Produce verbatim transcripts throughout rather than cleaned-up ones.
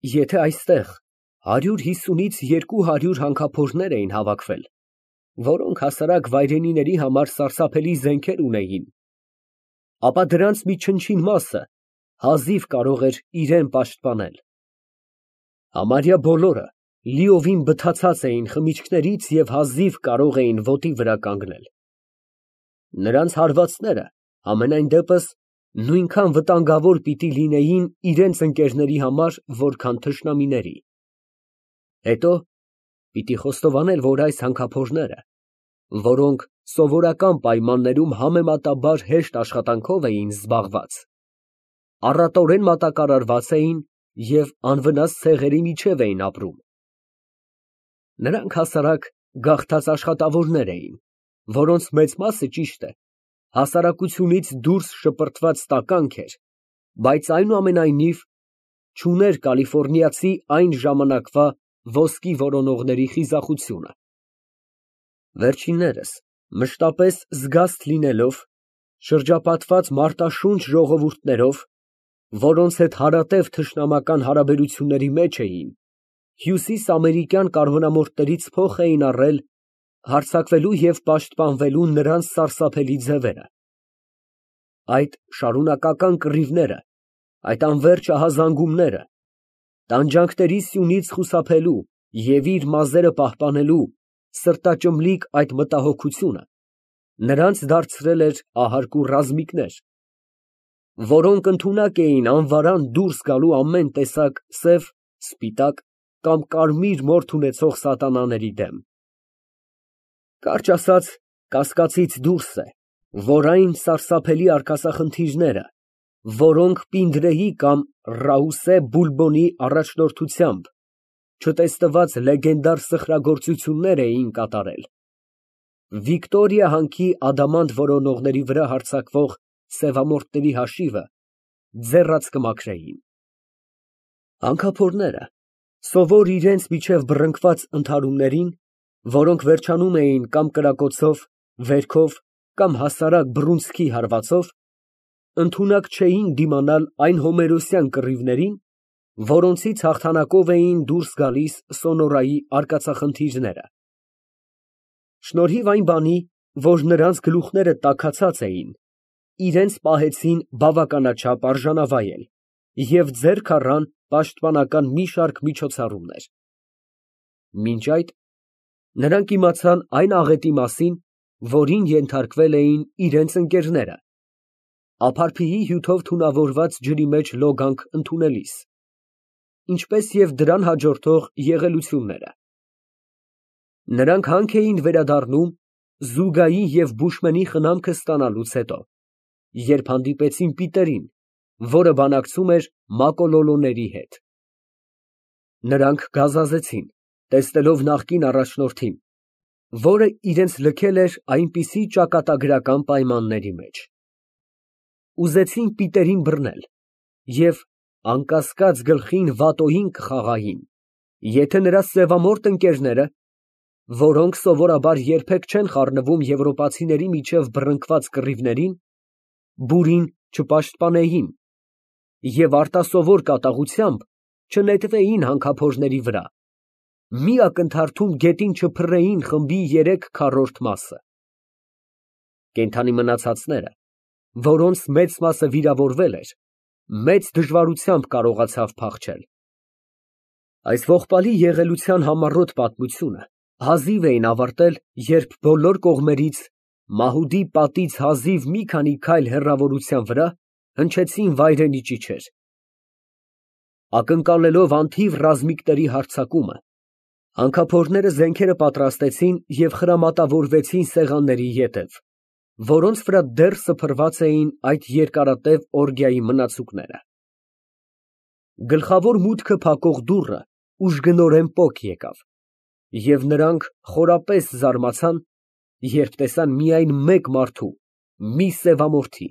Եթե այստեղ հարյուր հիսունից երկու հարյուր հանքափորներ էին հավաքվել, որոնք հասարակ վայրենիների համար սարսափելի զենքեր ունեին, ապա դրանց մի չնչին մասը հազիվ կարող էր իրան պաշտպանել։ Համարյա բոլորը լիովին բթացած էին խմիչքներից և հազիվ կարող էին ոտի վրա կանգնել։ Նրանց հարվածները, համենայն դեպս, նույնքան վտանգավոր պիտի լինեին իրենց ընկերների համար, որքան թշնամիների։ Հետո պիտի խոստովանել, որ այս հանքափորները, որոնք սովորական պայմաններում համեմատաբար հեշտ աշխատանքով էին զբաղված, առատորեն մատակարարված էին և անվնաս ցեղերի միջև էին ապրում։ Նրանք հասարակ գաղթած աշխատավորներ էին, որոնց մեծ մասը, ճիշտ է, հասարակությունից դուրս շպրտված տականք էր, բայց այնուամենայնիվ չուներ կալիֆոռնիացի այն ժամանակվա ոսկի որոնողների խիզախությունը։ Վերջիններս, մշտապես զգաստ լինելով, շրջապատված մարտաշունչ ժողովուրդներով, որոնց հետ հարատև թշնամական հարաբերությունների մեջ էին, հյուսիսամերիկյան կարբոնամորթներից փոխ էին առել հարձակվելու և պաշտպանվելու նրանց սարսափելի ձևերը։ Այդ շարունակական կռիվները, այդ անվերջ ահազանգումները, տանջանքների սյունից խուսափելու և իր մազերը պահպանելու սրտաճմլիկ այդ մտահոգությունը նրանց դարձրել էր ահարկու ռազմիկներ, որոնք ընդունակ էին անվարան դուրս գալու ամեն տեսակ սև, սպիտակ կամ կարմիր մորթ ունեցող սատանաների դեմ։ Կարճ ասած, կասկածից դուրս է, որ այն սարսափելի արկածախնդիրները, որոնք Պինդրեի կամ Ռաուսե Բուլբոնի առաջնորդությամբ չտեսնված լեգենդար սխրագործություններ էին կատարել, Վիկտորիա հանքի ադամանդ որոնողների վրա հարձակվող սևամորթների հաշիվը ձեռած կմաքրեին։ Հանքափորները, սովոր իրենց միջև բռնկված ընդհարումներին, որոնք վերջանում էին կամ կրակոցով, վերքով կամ հասարակ բռունցքի հարվածով, ընդունակ չէին դիմանալ այն հոմերոսյան կռիվներին, որոնցից հաղթանակով էին դուրս գալիս Սոնորայի արկածախնդիրները։ Շնորհիվ այն բանի, որ նրանց գլուխները տաքացած էին, իրենց պահեցին բավականաչափ արժանավայել և ձեռք առան պաշտպանական մի շարք միջոցառումներ։ Մինչ այդ, նրանք իմացան այն աղետի մասին, որին ենթարկվել էին իրենց ընկերները, ափարփիի հյութով թունավորված ջրի մեջ լոգանք ընդունելիս, ինչպես և դրան հաջորդող եղելությունները։ Նրանք հանք էին վերադառնում Զուգայի և Բուշմենի խնամքը ստանալուց հետո, երբ հանդիպեցին Պիտերին, որը բանակցում էր մակոլոլոների հետ։ Նրանք գազազեցին, տեսնելով նախկին առաջնորդին, որը իրենց լքել էր այնպիսի ճակատագրական պայմանների մեջ։ Ուզեցին Պիտերին բռնել և անկասկած գլխին վատոհին կխաղային, եթե նրա սևամորթ ընկերները, որոնք սովորաբար երբեք չեն խառնվում եվրոպացիների միջև բռնկված կռիվներին, բուրին չպաշտպանեին և արտասովոր կատաղությամբ չնետվեին հանքափորների վրա, մի ակնթարթում գետին չփռեին խմբի երեք քառորդ մասը։ Կենդանի մնացածները, որոնց մեծ մասը վիրավորվել էր, մեծ դժվարությամբ կարողացավ փախչել։ Այս ողբալի եղելության համառոտ պատմությունը հազիվ էին ավարտել, երբ բոլոր կողմերից, մահուդի պատից հազիվ մի քանի քայլ հեռավորության վրա, հնչեցին վայրենի ճիչեր։ Ակնկալելով անթիվ ռազմիկների հարձակումը, հանքափորները զենքերը պատրաստեցին և խրամատավորվեցին սեղանների ետև, որոնց վրա դեռ սփռված էին այդ երկարատև օրգիայի մնացուկները։ Գլխավոր մուտքը փակող դուռը ուժգնորեն պոկ եկավ, և նրանք խորապես զարմացան, երբ տեսան միայն մեկ մարդու, մի սևամորթի։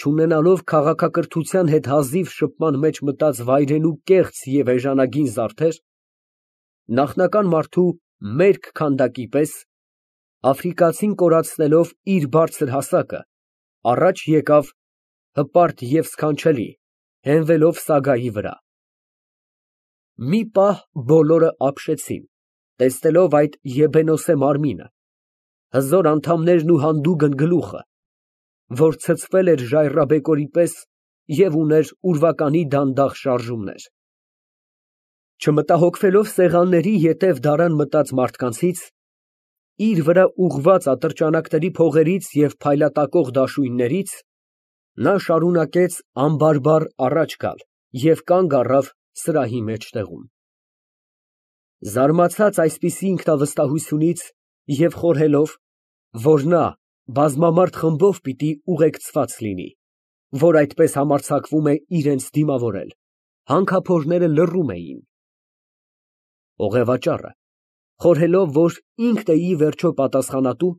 Չունենալով քաղաքակրթության հետ հազիվ շփման մեջ մտած վայրենու կեղծ և էժանագին զարդեր, նախնական մարդու մերկ քանդակի պես, աֆրիկացին կորացնելով իր բարձր հասակը, առաջ եկավ, հպարտ և սքանչելի, հենվելով սագայի վրա։ Մի պահ բոլորը ապշեցին, տեսնելով այդ եբենոսե մարմինը, հզոր անդամներն ու հանդուգն գլուխը, որ ցցվել էր ժայռաբեկորի պես և ուներ ուրվականի դանդաղ շարժումներ։ Չմտահոգվելով սեղանների ետև դարան մտած մարդկանցից, իր վրա ուղղված ատրճանակների փողերից և փայլատակող դաշույններից, նա շարունակեց անբարբար առաջ գալ և կանգ առավ սրահի մեջտեղում։ Զարմացած այսպիսի ինքնավստահությունից և խորհելով, որ նա բազմամարդ խմբով պիտի ուղեկցված լինի, որ այդպես համարձակվում է իրենց դիմավորել, հանքափորները լռում էին։ Օղևաճառը, խորհելով, որ ինքն է ի վերջո պատասխանատու,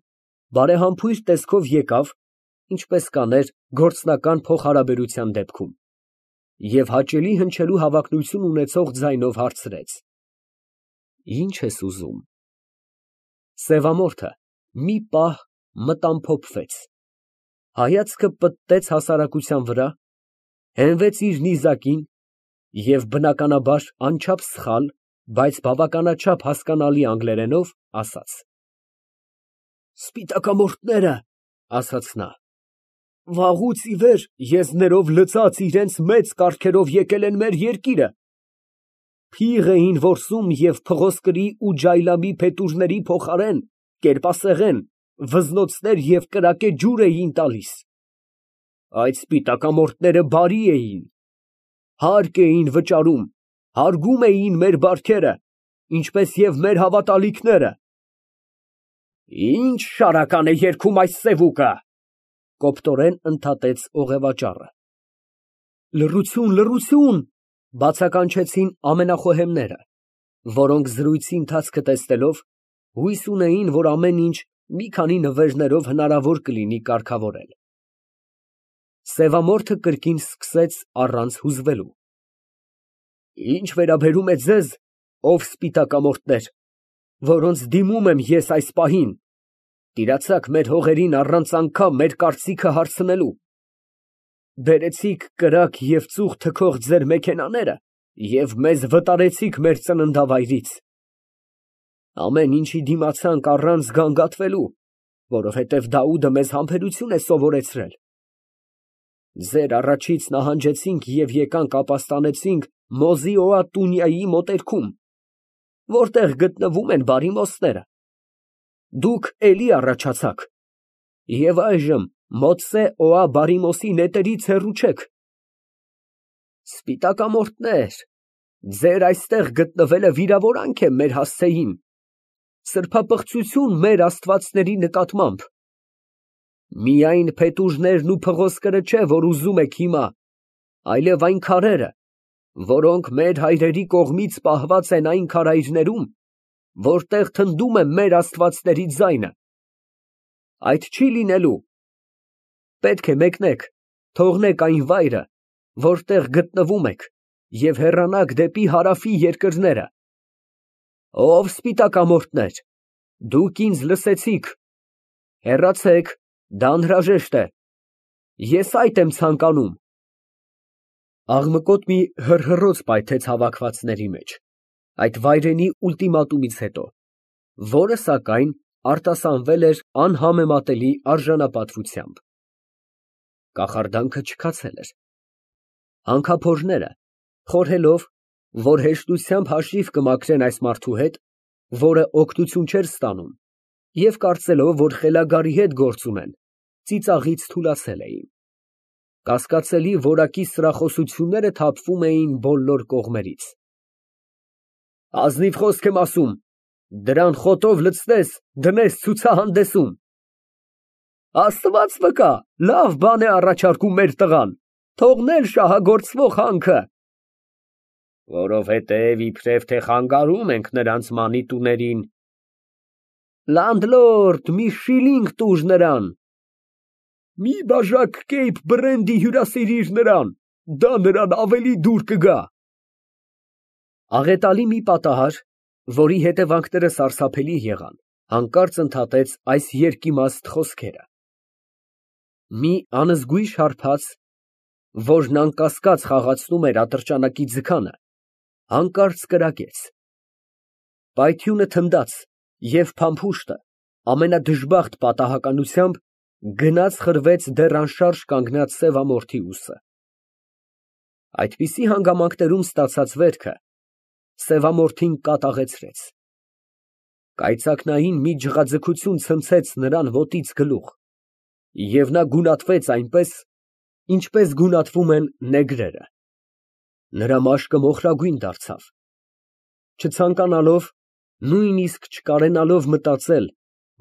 բարեհամբույր տեսքով եկավ, ինչպես կաներ գործնական փոխհարաբերության դեպքում, և հաճելի հնչելու հավակնություն ունեցող ձայնով հարցրեց. «Ի՞նչ ես ուզում»։ Սևամորթը մի պահ մտամփոփվեց, հայացքը պտտեց հասարակության վրա, հենվեց իր նիզակին և բնականաբար անչափ սխալ, բայց բավականաչափ հասկանալի անգլերենով ասաց. «Սպիտակամորթները, ֊ ասաց նա, ֊ վաղուց ի վեր եզներով լցած իրանց մեծ կառքերով եկել են մեր երկիրը, փիղ էին որսում և փղոսկրի ու ջայլամի փետուրների փոխարեն կերպասեղեն, վզնոցներ և կրակե ջուր էին տալիս։ Այդ սպիտակամորթները բարի էին, հարկ էին վճարում, հարգում էին մեր բարքերը, ինչպես և մեր հավատալիքները»։ «Ի՞նչ շարական է երգում այս սևուկը, ֊ կոպտորեն ընդհատեց օղևաճառը։ ֊ Լռություն, լռություն, ֊ բացականչեցին ամենախոհեմները, որոնք զրույցի ընթացքը տեսնելով, հույս ունեին, որ ամեն ինչ մի քանի նվերներով հնարավոր կլինի կարգավորել։ Սևամորթը կրկին սկսեց առանց հուզվելու. «Ինչ վերաբերում է ձեզ, ով սպիտակամորթներ, որոնց դիմում եմ ես այս պահին, տիրացաք մեր հողերին առանց անգամ մեր կարծիքը հարցնելու, բերեցիք կրակ և ծուխ թքող ձեր մեքենաները և մեզ վտարեցիք մեր ծննդավայրից, ամեն ինչի դիմացանք առանց գանգատվելու, որովհետև Դաուդը մեզ համբերություն է սովորեցրել։ Ձեր առաջից նահանջեցինք և եկանք ապաստանեցինք Մոզիոա Տունյայի մոտերքում, որտեղ գտնվում են բարիմոսները։ Դուք էլի առաջացաք և այժմ Մոցսե֊Օա բարիմոսի նետերից հեռու չեք։ Սպիտակամորթներ, ձեր այստեղ գտնվելը վիրավորանք է մեր հասցեին, սրբապղծություն մեր աստվածների նկատմամբ։ Միայն փետուրներն ու փղոսկրը չէ, որ ուզում եք հիմա, այլև այն քարերը, որոնք մեր հայրերի կողմից պահված են այն քարայրներում, որտեղ թնդում է մեր աստվածների ձայնը։ Այդ չի լինելու։ Պետք է մեկնեք, թողնեք այն վայրը, որտեղ գտնվում եք, և հեռանաք դեպի հարավի երկրները։ Ով սպիտակամորթներ, դուք ինձ լսեցիք, հեռացեք, դա անհրաժեշտ է, ես այդ եմ ցանկանում»։ Աղմկոտ մի հռհռոց պայթեց հավաքվածների մեջ այդ վայրենի ուլտիմատումից հետո, որը, սակայն, արտասանվել էր անհամեմատելի արժանապատվությամբ։ Կախարդանքը չքացել էր։ Հանքափորները, խորհելով, որ հեշտությամբ հաշիվ կմաքրեն այս մարդու հետ, որը օգնություն չէր ստանում, և կարծելով, որ խելագարի հետ գործ ունեն, ծիծաղից թուլացել էին։ Կասկածելի որակի սրախոսությունները թափվում էին բոլոր կողմերից։ Ազնիվ խոսք եմ ասում, դրան խոտով լցնես, դնես ցուցահանդեսում։ Աստված վկա, լավ բան է առաջարկում մեր տղան, թողնել շահագործվող հանքը։ Որովհետև իբրև թե խանգարում ենք նրանց մանիտուներին։ Լանդլորդ, մի շիլինգ տուր նրան։ Մի բաժակ Կեյփ բրենդի հյուրասիրիր նրան, դա նրան ավելի դուր կգա։ Աղետալի մի պատահար, որի հետևանքները սարսափելի եղան, հանկարծ ընդհատեց այս երկիմաստ խոսքերը։ Մի անզգույշ հարբած, որն անկասկած խաղացնում էր ատրճանակի ձգանը, Հանկարծ կրակեց։ Պայթյունը թնդաց, և փամփուշտը ամենադժբախտ պատահականությամբ գնաց խրվեց դեռ անշարժ կանգնած սևամորթի ուսը։ Այդպիսի հանգամանքներում ստացած վերքը սևամորթին կատաղեցրեց։ Կայծակնային մի ջղաձգություն ցնցեց նրան ոտից գլուխ, և նա գունատվեց այնպես, ինչպես գունատվում են նեգրերը։ Նրա մաշկը մոխրագույն դարձավ։ Չցանկանալով, նույնիսկ չկարենալով մտածել,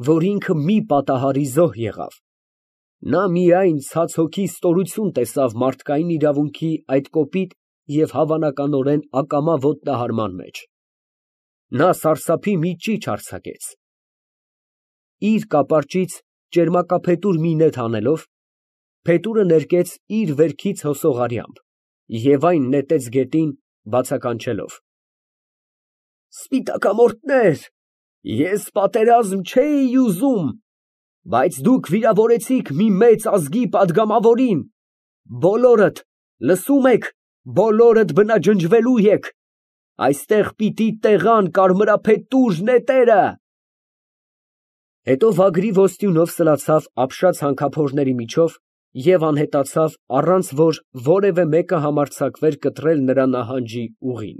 որ ինքը մի պատահարի զոհ եղավ, նա միայն ցած հոգի ստորություն տեսավ մարդկային իրավունքի այդ կոպիտ և հավանականորեն ակամա ոտնահարման մեջ։ Նա սարսափի մի ճիչ արձակեց։ Իր կապարճից ճերմակափետուր մի նետ հանելով, փետուրը ներկեց իր վերքից հոսող արյամբ և այն նետեց գետին, բացականչելով. Սպիտակամորթներ, ես պատերազմ չէի ուզում, բայց դուք վիրավորեցիք մի մեծ ազգի պատգամավորին, բոլորդ, լսո՞ւմ եք, բոլորդ բնաջնջվելու եք, այստեղ պիտի տեղան կարմրափետուր նետերը։ Հետո վագրի ոսტյունով սլացավ ապշած հանքափորների միջով և անհետացավ, առանց որ որևէ մեկը համարձակվեր կտրել նրա նահանջի ուղին։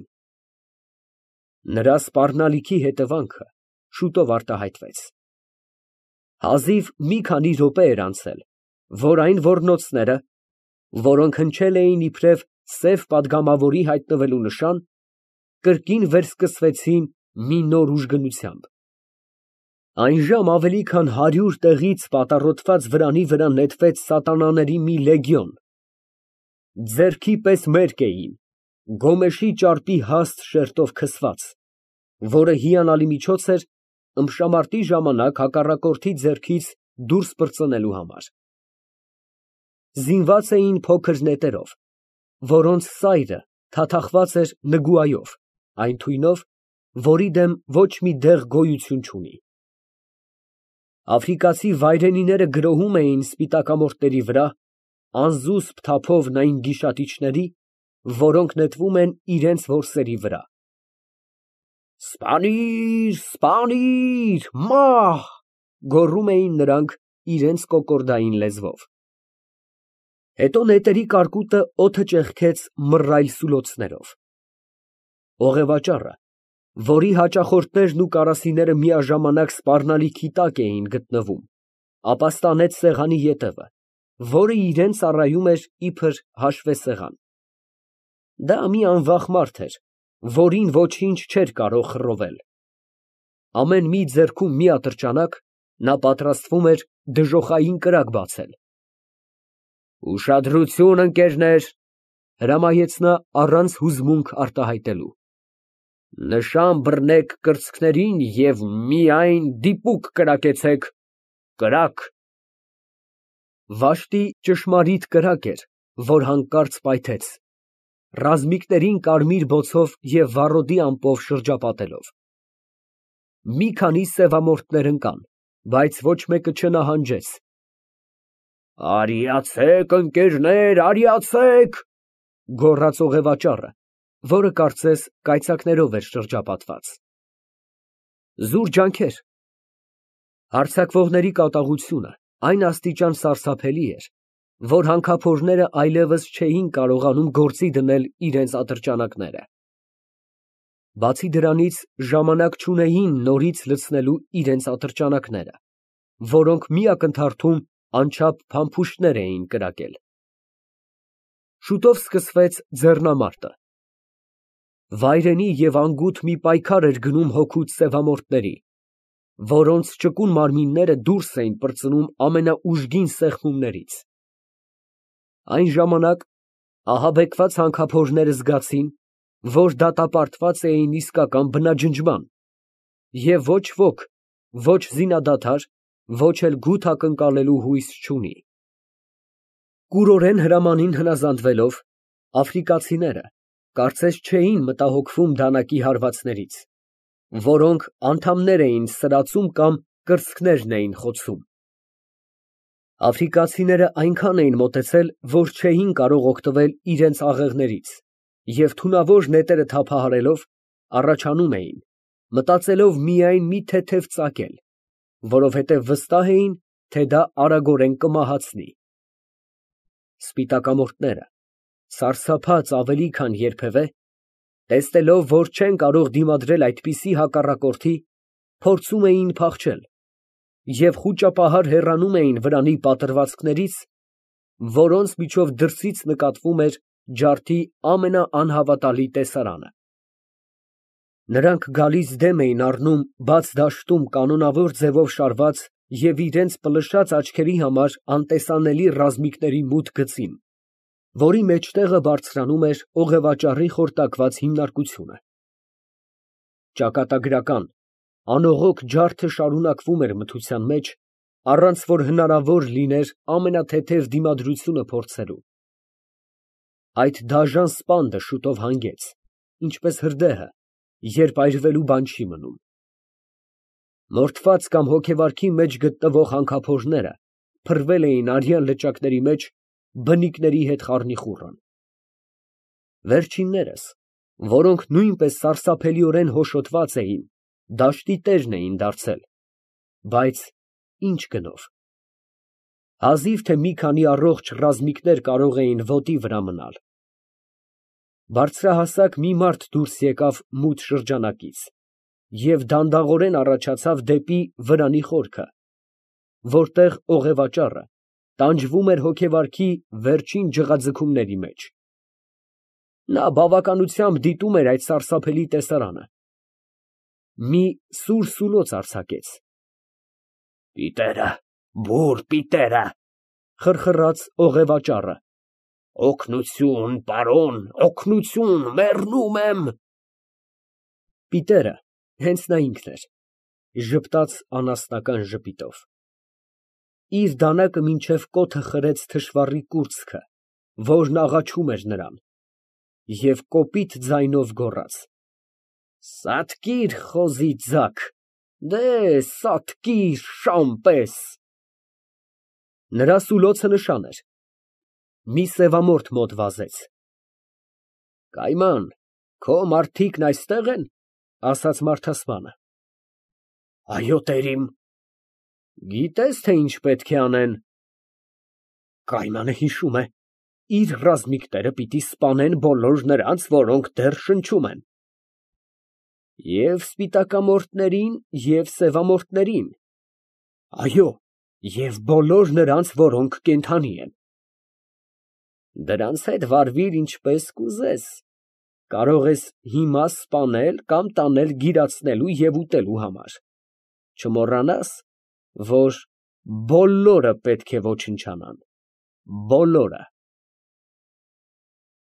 Նրա սպառնալիքի հետևանքը շուտով արտահայտվեց։ Հազիվ մի քանի րոպե էր անցել, որ այն ոռնոցները, որոնք հնչել էին իբրև սև պատգամավորի հայտնվելու նշան, կրկին վերսկսվեցին մի նոր ուժգնությամբ։ Այնժամ ավելի քան հարյուր տեղից պատառոտված վրանի վրա նետվեց սատանաների մի լեգիոն, ձեռքի պես մերկ էին, գոմեշի ճարպի հաստ շերտով քսված, որը հիանալի միջոց էր ըմբշամարտի ժամանակ հակառակորդի ձեռքից դուրս պրծնելու համար։ Զինված էին փոքր նետերով, որոնց սայրը թաթախված էր նգուայով, այն թույնով, որի դեմ ոչ մի դեղ գոյություն չունի։ Աֆրիկացի վայրենիները գրոհում էին սպիտակամորթների վրա անզուսպ թափովն այն գիշատիչների, որոնք նետվում են իրենց որսերի վրա։ Սպանիր, սպանիր, մահ, գոռում էին նրանք իրենց կոկորդային լեզվով։ Հետո նետերի կարկուտը օդը ճեղքեց մռայլ սուլոցներով։ Օղևաճառը, որի հաճախորդներն ու կարասիները միաժամանակ սպառնալիքի տակ էին գտնվում, ապաստանեց սեղանի ետևը, որը իրան ծառայում էր իբր հաշվեսեղան։ Դա մի անվախ մարդ էր, որին ոչինչ չէր կարող խռովել։ Ամեն մի ձեռքում մի ատրճանակ, նա պատրաստվում էր դժոխային կրակ բացել։ Ուշադրություն, ընկերներ, հրամայեց նա առանց հուզմունք արտահայտելու։ Նշան բռնեք կրծքներին և միայն դիպուկ կրակեցեք, կրակ։ Վաշտի ճշմարիտ կրակ էր, որ հանկարծ պայթեց, ռազմիկներին կարմիր բոցով և վառոդի ամպով շրջապատելով։ Մի քանի սևամորթներ ընկան, բայց ոչ մեկը չնահանջեց։ Արիացեք, ընկերներ, արիացեք, գոռաց օղևաճառը, որը կարծես կայծակներով էր շրջապատված։ Զուր ջանքեր։ Հարձակվողների կատաղությունը այն աստիճան սարսափելի էր, որ հանքափորները այլևս չէին կարողանում գործի դնել իրենց ատրճանակները։ Բացի դրանից, ժամանակ չունեին նորից լցնելու իրենց ատրճանակները, որոնք մի ակնթարթում անչափ փամփուշտներ էին կրակել։ Շուտով սկսվեց ձեռնամարտը։ Վայրենի և անգութ մի պայքար էր գնում հոգուց սևամորթների, որոնց ճկուն մարմինները դուրս էին պրծնում ամենաուժգին սեղմումներից։ Այն ժամանակ ահաբեկված հանքափորները զգացին, որ դատապարտված էին իսկական բնաջնջման, և ոչ ոք ոչ զինադադար, ոչ էլ գութ ակնկալելու հույս չունի։ Կուրորեն հրամանին հնազանդվելով, աֆրիկացիները կարծես չէին մտահոգվում դանակի հարվածներից, որոնք անդամներ էին սրածում կամ կրծքներն էին խոցում։ Աֆրիկացիները այնքան էին մոտեցել, որ չէին կարող օգտվել իրենց աղեղներից, Եվ թունավոր նետերը թափահարելով, առաջանում էին, մտածելով միայն մի թեթև ծագել, որովհետև վստահ էին, թե դա արագորեն կմահացնի։ Սպիտակամորթները, սարսափած ավելի քան երբևէ, տեսնելով, որ չեն կարող դիմադրել այդպիսի հակառակորդի, փորձում էին փախչել և խուճապահար հեռանում էին վրանի պատրվացքներից, որոնց միջով դրսից նկատվում էր ջարդի ամենաանհավատալի տեսարանը։ Նրանք գալիս դեմ էին առնում բաց դաշտում կանոնավոր ձևով շարված և իրենց պլշած աչքերի համար անտեսանելի ռազմիկների մութ գծին, որի մեջտեղը բարձրանում էր օղևաճառի խորտակված հիմնարկությունը։ Ճակատագրական, անողոք ջարդը շարունակվում էր մթության մեջ, առանց որ հնարավոր լիներ ամենաթեթև դիմադրությունը փորձելու։ Այդ դաժան սպանդը շուտով հանգեց, ինչպես հրդեհը, երբ այրվելու բան չի մնում։ Մորթված կամ հոգեվարքի մեջ գտնվող հանքափորները փռվել էին արյան լճակների մեջ բնիկների հետ խառնիխուռն։ Վերջիններս, որոնք նույնպես սարսափելիորեն հոշոտված էին, դաշտի տերն էին դարձել, բայց ի՞նչ գնով։ Հազիվ թե մի քանի առողջ ռազմիկներ կարող էին ոտի վրա մնալ։ Բարձրահասակ մի մարդ դուրս եկավ մութ շրջանակից և դանդաղորեն առաջացավ դեպի վրանի խորքը, որտեղ օղևաճառը տանջվում էր հոգեվարքի վերջին ջղաձգումների մեջ։ Նա բավականությամբ դիտում էր այդ սարսափելի տեսարանը։ Մի սուր սուլոց արձակեց։ «Պիտերը, բուռ պիտերը», խռխռաց օղևաճառը։ «Օգնություն, պարոն, օգնություն, մեռնում եմ»։ Պիտերը հենց նա ինքն էր, ժպտաց անասնական ժպիտով։ Իր դանակը մինչև կոթը խրեց թշվառի կուրծքը, որն աղաչում էր նրան, և կոպիտ ձայնով գոռաց. «Սատկիր, խոզի ձակ, դե սատկիր, շան պես»։ Նրա սուլոցը նշան էր։ Մի սևամորթ մոտ վազեց։ «Կայման, քո մարդիկն այստե՞ղ են», ֊ ասաց մարդասպանը։ «Այո, տերիմ»։ «Գիտե՞ս, թե ինչ պետք է անեն»։ Կայմանը հիշում է, իր ռազմիկները պիտի սպանեն բոլոր նրանց, որոնք դեռ շնչում են։ Եվ սպիտակամորթներին, և սևամորթներին։ Այո, և բոլոր նրանց, որոնք կենդանի են։ Դրանց հետ վարվիր ինչպես կուզես, կարող ես հիմա սպանել կամ տանել գիրացնելու և ուտելու համար, չմոռանաս, որ բոլորը պետք է ոչնչանան, բոլորը։